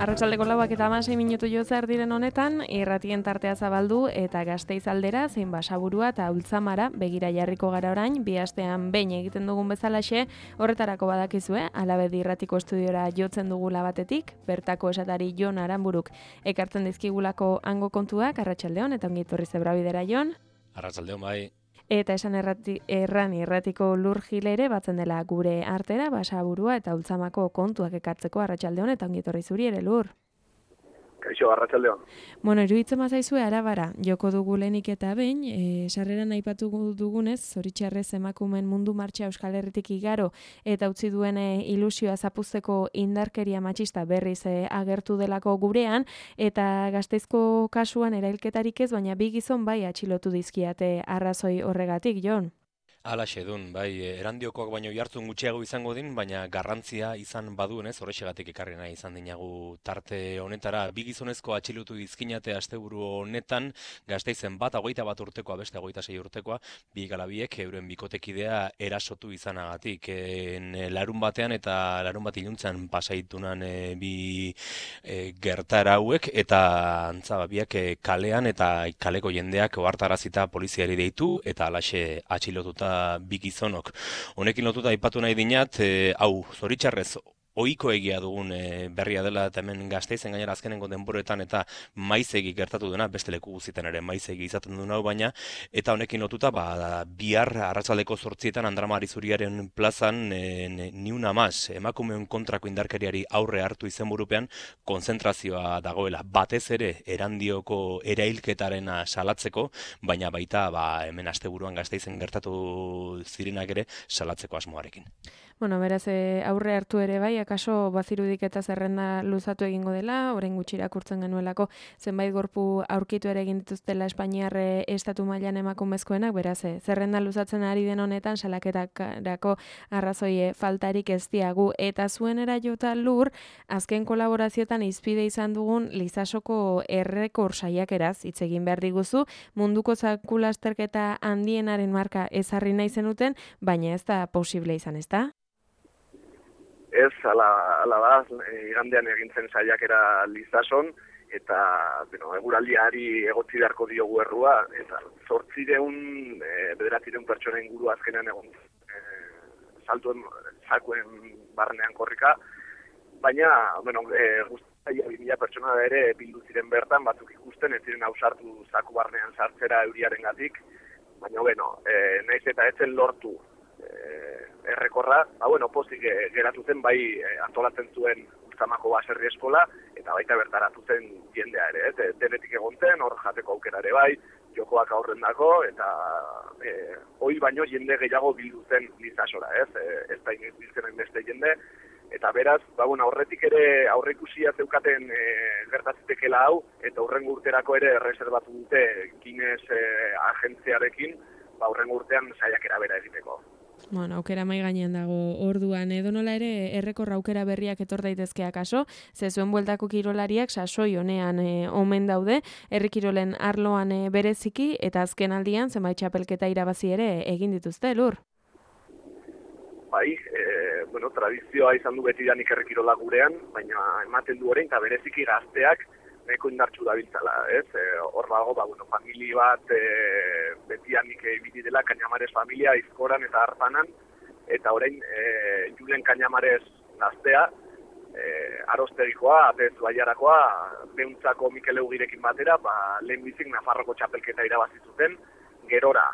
Arratsaldeko 4:06 jo zer diren honetan, irratien tartea zabaldu eta Gasteiz aldera, zein Basaburua eta Ultzamara begira jarriko gara orain, bi astean behin egiten dugun bezalaxe, horretarako badakizue, Alabedi irratiko estudiora jotzen dugula batetik, bertako esatari Jon Aranburuk ekartzen dizkigulako hango kontuak, arratsaldeon eta ongi etorri Zebrabidera Jon. Arratsaldeon bai. Eta esan erran irratiko Lur Gilere batzen dela gure artera, Basaburua eta Ultzamako kontuak ekartzeko arratsaldeon eta ongi etorri zuri ere Lur. Kaixo, arratsaldeon. Bueno, iruditzen bazaizue Arabara, joko dugu lehenik eta behin, sarreran aipatu dugunez, zoritxarrez emakumen mundu martxa Euskal Herritik igaro eta utzi duen ilusioa zapuzteko indarkeria matxista berriz agertu delako gurean, eta Gasteizko kasuan erailketarik ez, baina bi gizon bai atxilotu dizkiate arrazoi horregatik, Jon. Halaxe dun, bai, erandiokoak baino jartzun gutxiago izango din, baina garrantzia izan baduenez, horrexegatik ekarri nahi izan dinagu tarte honetara. Bi gizonezko atxilotu dizkinate asteburu honetan, Gasteizen bat 21 urtekoa, beste 26 urtekoa, bi galabiek euren bikotekidea erasotu izanagatik. Larun batean eta larun bat iluntzean pasaitunan bi gertara hauek, eta antza biak kalean eta kaleko jendeak ohartarazita poliziari deitu, eta halaxe atxilotuta bi gizonok. Honekin lotuta aipatu nahi dinat, hau, zoritxarrez, ohiko egia dugun berria dela eta hemen Gasteizen gainera azkenengo denboretan eta maizegi gertatu dena, beste leku guztietan ere maizegi izaten duen hau baina, eta honekin lotuta bihar arratsaldeko 8 Andramari Zuriaren plazan ni una más, emakumeon kontrako indarkeriari aurre hartu izenburupean konzentrazioa dagoela, batez ere Erandioko erailketarena salatzeko, baina baita hemen asteburuan Gasteizen gertatu zirenak ere salatzeko asmoarekin. Bueno, beraz, aurre hartu ere bai, akaso bazirudik eta zerrenda luzatu egingo dela, orain gutxi irakurtzen genuelako zenbait gorpu aurkitu ere egin dituztela Espainiar estatu mailan emakumezkoenak, beraz, zerrenda luzatzen ari den honetan salaketarako arrazoi faltarik ez diagu, eta zuenera jota Lur, azken kolaborazioetan izpide izan dugun Lizasoko errekor saiakeraz hitz egin behar diguzu, munduko zakulasterketa handienaren marka ezarri nahi zenuten, baina ez da posible izan, ezta? Ez, ala da, igandean egintzen saiakera Lizason, eta eguraldiari egotzi beharko diogu errua, eta 900 pertsona inguru azkenean egon saltuen barnean korrika, baina, guztia 2000 pertsona da ere bildu ziren bertan, batzuk ikusten, ez ziren ausartu zaku barnean sartzera euriarengatik, baina, naiz eta etzen lortu errekorra, pozik geratu zen bai antolatzen zuen Ultzamako baserri eskola, eta baita bertaratu zen jendea ere, denetik egon zen, hor jateko aukera ere bai, jokoak aurren dako, eta hoi baino jende gehiago bildu zen Lizasora, ez da inoiz biltzen beste jende, eta beraz, aurretik ere aurreikusia zeukaten gertatzitekela hau, eta hurrengo urterako ere reservatu dute Guinness agentziarekin, hurrengo urtean saiakera bera egiteko. Bueno, aukera mai gainean dago orduan, edonola ere errekorra aukera berriak etor daitezke akaso, ze zuen bueltako kirolariak sasoi honean omen daude, herri kirolen arloan bereziki, eta azken aldian zenbait txapelketa irabazi ere egin dituzte, Lur? Bai, tradizioa izan du betidanik herri kirola gurean, baina ematen du orain, eta bereziki gazteak nahiko indartsu dabiltzala, ez? Hor dago, famili bat betianik ibili dela Kañamares familia, Izkoran eta Arpanan, eta orain Julen Kañamares gaztea, Arostegikoa, Atez Baiarakoa, Beuntzako Mikel Eugirekin batera, lehenbizik Nafarroko txapelketa irabazi zuten, gerora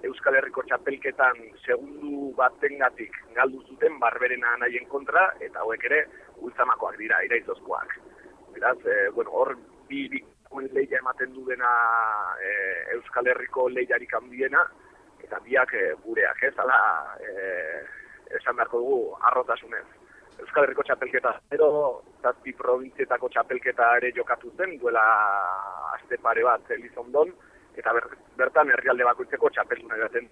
Euskal Herriko txapelketan segundu batengatik galdu zuten Barberena nahien kontra, eta hauek ere Ultzamakoak dira, iraizozkoak. Beraz, hor bi lehia ematen du dena Euskal Herriko lehiarik handiena, eta biak gureak, ez, esan beharko dugu arrotasunez. Euskal Herriko txapelketa, 7 probintzietako txapelketa ere jokatu zen, duela aste pare bat Elizondon, eta bertan herrialde bakoitzeko txapelduna edaten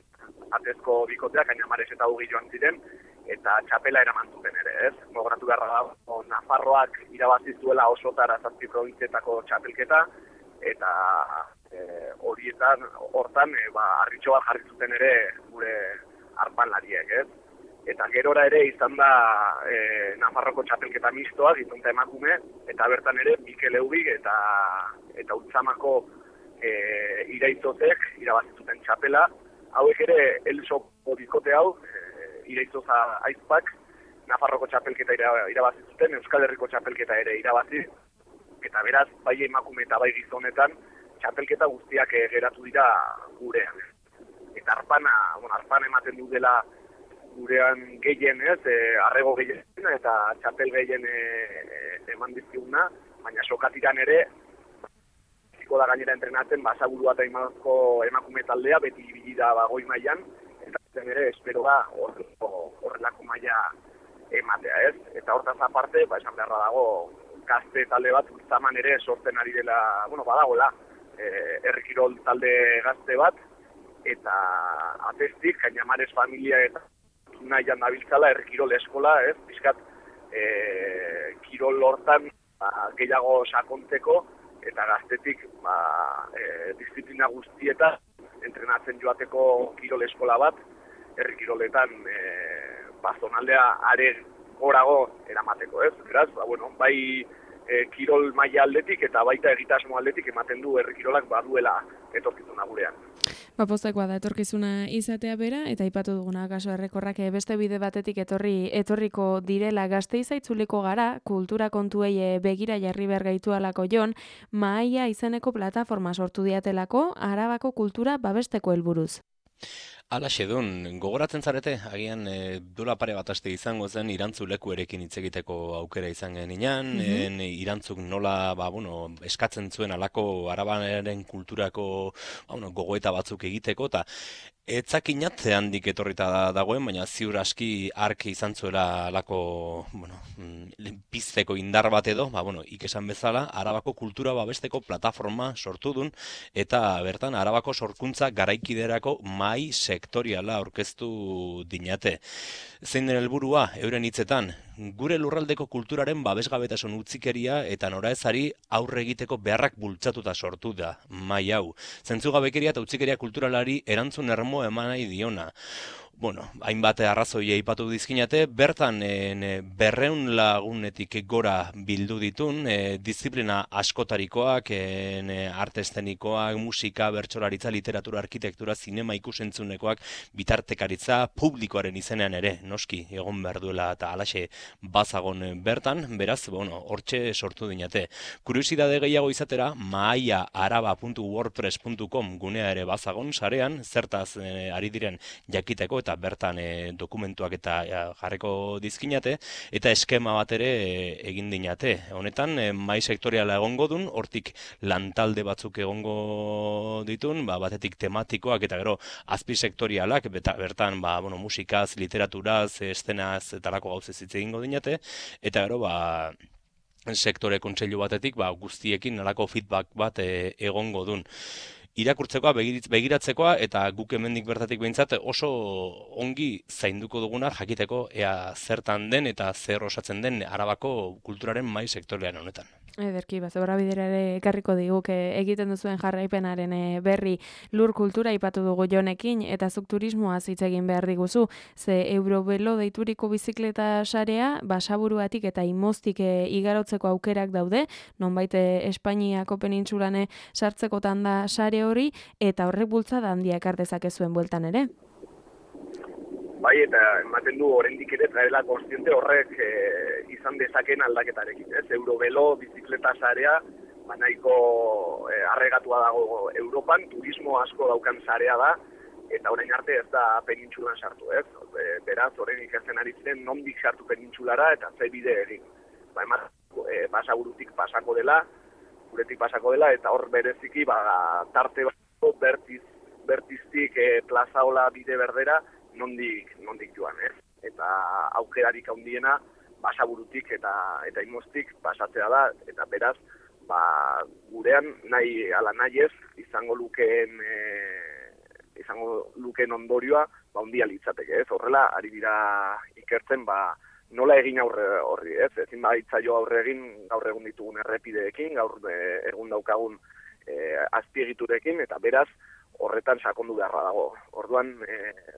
Atezko bikoteak, Kañamares eta Ugi joan ziren, eta txapela eraman zuten ere, ez? Gogoratu beharra da, Nafarroak irabazi zuela osotara 7 probintzietako txapelketa, eta hortan, harritxo bat jarri zuten ere gure arpanlariek, ez? eta gerora ere izan da Nafarroko txapelketa mistoa, gizon eta emakume, eta bertan ere Mikel Eubig eta Ultzamako iraitzotek irabazituten txapela. Hauek ere Elsoko bikote hau, iraitzoza aizpak, Nafarroko txapelketa irabazituten, Euskal Herriko txapelketa ere irabazi, eta beraz, bai emakume eta bai gizonetan, txapelketa guztiak geratu dira gurean. Eta arpana ematen du dela gurean gehien, arrego gehien eta txapel gehien eman dizkiguna, baina sokatiran ere, ziko da gainera entrenatzen, Basaburua eta emakume taldea, beti ibili da goi mailan, eta zen ere, espero da, horrelako maila ematea, ez? Eta hortaz aparte, esan beharra dago, gazte talde bat, Ultzaman ere sortzen ari dela, badagoela, herrikirol talde gazte bat, eta atestik, Cañamares familia eta nahian dabiltzala, herrikirol eskola, ez? Bizkat, kirol hortan gehiago sakontzeko, eta gaztetik disiplina guztieta entrenatzen joateko kirol eskola bat, herrikiroletan zonaldea are gorago eramateko, ez? Beraz, bai kirol maila aldetik eta baita egitasmo aldetik ematen du herrikirolak baduela etorkizuna gurean. Postekoa da etorkizuna izatea bera, eta aipatu duguna kaso errekorrak beste bide batetik etorriko direla Gasteiza itzuliko gara, kultura kontuei begira jarri behar gaitu alako Jon, Mahaia izeneko plataforma sortu diatelako Arabako kultura babesteko helburuz. Alaxe dun, gogoratzen zarete, agian dola pare bat aste izango zen irantzuleku erekin hitz egiteko aukera izan genian, irantzuk nola, eskatzen zuen alako arabaren kulturako gogoeta batzuk egiteko, eta etzakinat handik etorrita dagoen, baina ziur aski ark izan zuela alako, pizteko indar bat edo, ikesan bezala, Arabako kultura babesteko plataforma sortu dun, eta bertan Arabako sorkuntza garaikiderako mahai sektoriala aurkeztu dinate. Zein den helburua, euren hitzetan, gure lurraldeko kulturaren babesgabetasun utzikeria eta noraezari aurre egiteko beharrak bultzatuta sortu da mahai hau. Zentzugabekeria eta utzikeria kulturalari erantzun ermo eman nahi diona. Hainbat arrazoi aipatu dizkinate, bertan 200 lagunetik gora bildu ditun, disiplina askotarikoak, arte eszenikoak, musika, bertsolaritza, literatura, arkitektura, zinema ikusentzunekoak, bitartekaritza, publikoaren izenean ere, noski, egon behar duela eta alaxe bazagon bertan, beraz, hortxe sortu dinate. Kuriosidade gehiago izatera, mahaiaaraba.wordpress.com gunea ere bazagon, sarean, zertaz ari diren jakiteko, eta bertan dokumentuak eta jarreko dizkinate, eta eskema bat ere egin dinate. Honetan, mahai sektoriala egongo dun, hortik lantalde batzuk egongo ditun, batetik tematikoak eta gero azpi sektorialak, bertan musikaz, literaturaz, eszenaz eta lako gauzez hitz egingo dinate, eta gero sektore kontseilu batetik guztiekin nolako feedback bat egongo dun. Irakurtzekoa, begiratzekoa, eta guk hemendik bertatik behintzat oso ongi zainduko duguna jakiteko ea zertan den eta zer osatzen den Arabako kulturaren mahai sektorialean honetan. Ederki, zebra bidera ere ekarriko diguk egiten duzuen jarraipenaren berri lur kultura aipatu dugu Jonekin, eta zuk turismoaz hitz egin behar diguzu, ze Eurobelo deituriko bizikleta sarea, Basaburuatik eta Imostik igarotzeko aukerak daude, nonbait Espainiako penintsulane sartzekotan da sare hori, eta horrek bultzada handia ekar dezakezuen bueltan ere. Bai, eta ematen du oraindik ere traela kontziente horrek izan dezaken aldaketarekin, ez? Eurobelo bizikleta sarea nahiko arregatua dago Europan, turismo asko daukan sarea da, eta orain arte ez da penintsulan sartu, ez? Beraz, orain ikasten ari ziren nondik sartu penintsulara eta ze bide egin. Basaburutik pasako dela, guretik pasako dela, eta hor bereziki tarte bat bertiztik plazaola bide berdera, nondik joan, ez? Eta aukerarik handiena Basaburutik eta Imostik pasatzea da, eta beraz, gurean nahi ez izango lukeen ondorioa handia litzateke, ez? Horrela, ari dira ikertzen, nola egin aurre horri, ez? Ezin baitzaio aurre egin gaur egun ditugun errepideekin, gaur egun daukagun azpiegiturekin, eta beraz, horretan sakondu beharra dago. Orduan,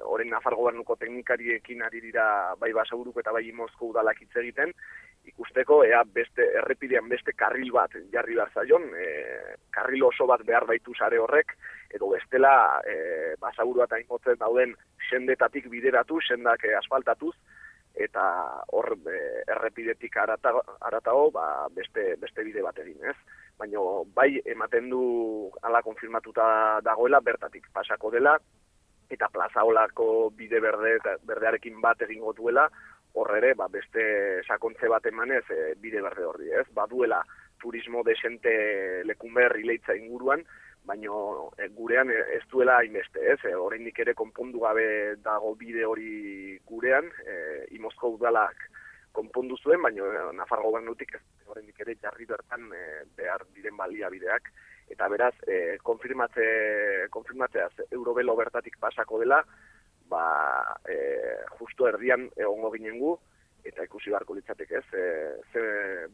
orain Nafar Gobernuko teknikariekin ari dira bai Basaburuko eta bai Imozko udalak hitz egiten, ikusteko ea errepidean beste karril bat jarri behar zaion, karril oso bat behar baitu sare horrek, edo bestela Basaburua eta Imotzen dauden sendetatik bideratu, sendak asfaltatuz, eta hor errepidetik aratago beste bide bat egin, ez? Baina bai ematen du ala konfirmatuta dagoela bertatik pasako dela, eta plazaolako bide berdearekin bat egingo duela, hor ere beste sakontze bat emanez bide berde horri, ez? Baduela turismo desente Lekunber Ileitza inguruan, baina gurean ez duela hainbeste, ez? Oraindik ere konpondu gabe dago bide hori gurean, Imozko udalak konpondu zuen, baina Nafar Gobernutik ez oraindik ere jarri bertan behar diren baliabideak, eta beraz, konfirmatzeaz Eurobelo bertatik pasako dela, justo erdian egongo ginen gu, eta ikusi beharko litzateke ez, ze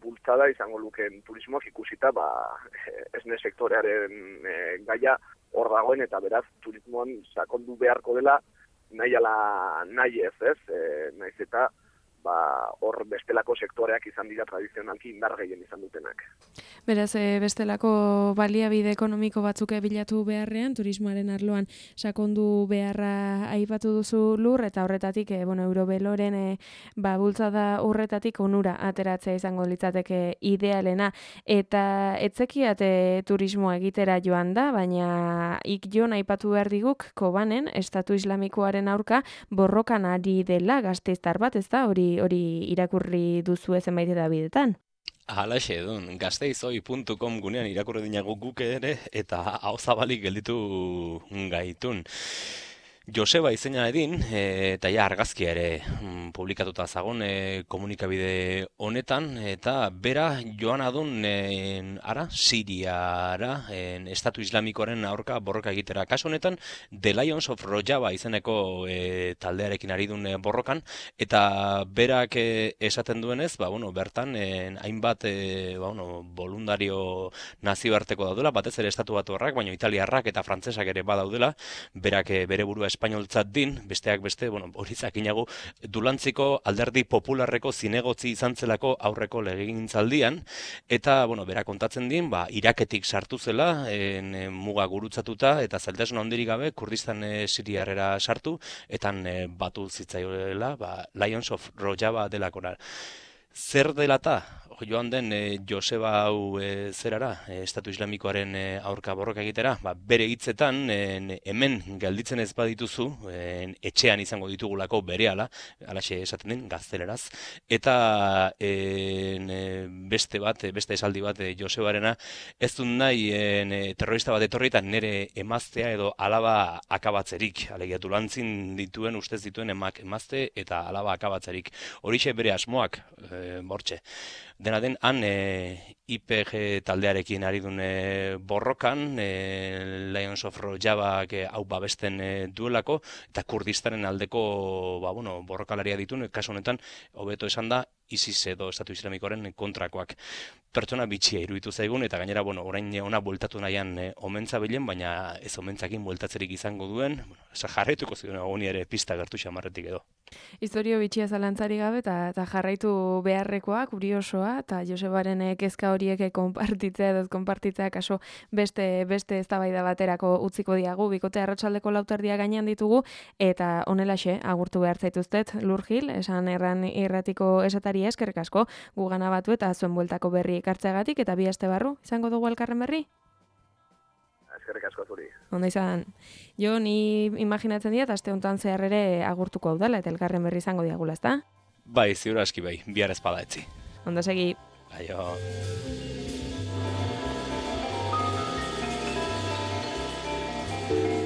bultzada izango lukeen turismoak ikusita, esne sektorearen gaia hor dagoen, eta beraz turismoan sakondu beharko dela nahi ez, nahiz eta hor bestelako sektoreak izan dira tradizionalki indar gehien izan dutenak. Beraz, bestelako baliabide ekonomiko batzuk bilatu beharrean, turismoaren arloan sakondu beharra aipatu duzu Lur, eta horretatik, Eurobeloren bultzada horretatik onura ateratzea izango litzateke idealena, eta etzekiat turismoa egitera joan da, baina Jon aipatu behar diguk, Kobanen, Estatu Islamikoaren aurka borrokan ari dela gasteiztar bat, ez da, hori irakurri duzu zenbait edabidetan. Halaxe edun, gasteizoi.com gunean irakurri dinago guk ere, eta hau zabalik gelditu gaitun. Joseba izena edin, eta ja argazkia ere publikatuta zagon komunikabide honetan, eta bera joan adun Siriara, Estatu Islamikoaren aurka borroka egitera. Kasu honetan, The Lions of Rojava izeneko taldearekin ari dun borrokan, eta berak esaten duenez, bertan hainbat voluntario nazioarteko daudela, batez ere Estatu Batuarrak, baina italiarrak eta frantsesak ere badaudela, berak bere burua espainoltzat din, besteak beste, hori zakinagu, Dulantziko Alderdi Popularreko zinegotzi izan zelako aurreko legegintzaldian, eta, bera kontatzen din, Iraketik sartu zela, muga gurutzatuta, eta zailtasun handirik gabe, Kurdistan Siriarrera sartu, eta batu zitzaioela, Lions of Rojava delakora. Zer delata? Joan den Joseba hau zerara, Estatu Islamikoaren aurka borroka egitera, bere hitzetan hemen gelditzen ez badituzu, etxean izango ditugulako berehala, halaxe esaten den, gazteleraz, eta beste esaldi bat Josebarena, ez dut nahi terrorista bat etorri eta nire emaztea edo alaba akabatzerik, alegia Dulantzin dituen, ustez dituen emazte eta alaba akabatzerik. Horixe bere asmoak, bortxe. Dena den, han IPG taldearekin ari duen borrokan, Lions of Rojava hau babesten duelako, eta Kurdistanen aldeko borrokalaria dituen, kasu honetan, hobeto esan da, ISIS edo Estatu Islamikoaren kontrakoak. Pertsona bitxia iruditu zaigun, eta gainera, orain ona bueltatu nahian omentza bilen, baina ez omentzakin bueltatzerik izango duen, jarraituko ziren honi ere pista gertu xamarretik edo. Historio bitxia zalantzari gabe, eta jarraitu beharrekoa, kuriosoa, eta Josebaren kezka horiek konpartitzea edo konpartitzea kaso beste eztabaida baterako utziko diagu, bikote arratsaldeko lauterdia gainean ditugu, eta honelaxe agurtu behar zaituztet, Lur Gil, esan erran irratiko esatari eskerrik asko, gugana batu eta zuen bueltako berri ekartzeagatik, eta bi aste barru, izango dugu elkarren berri? Eskerrik asko zuri. Ondo izan, jo ni imaginatzen dira, aste honetan zehar ere agurtuko hau dela, eta elkarren berri izango diagula, ezta? Bai, ziur aski bai, bihar ezpada etzi. Ondo segi. Aio. Thank you.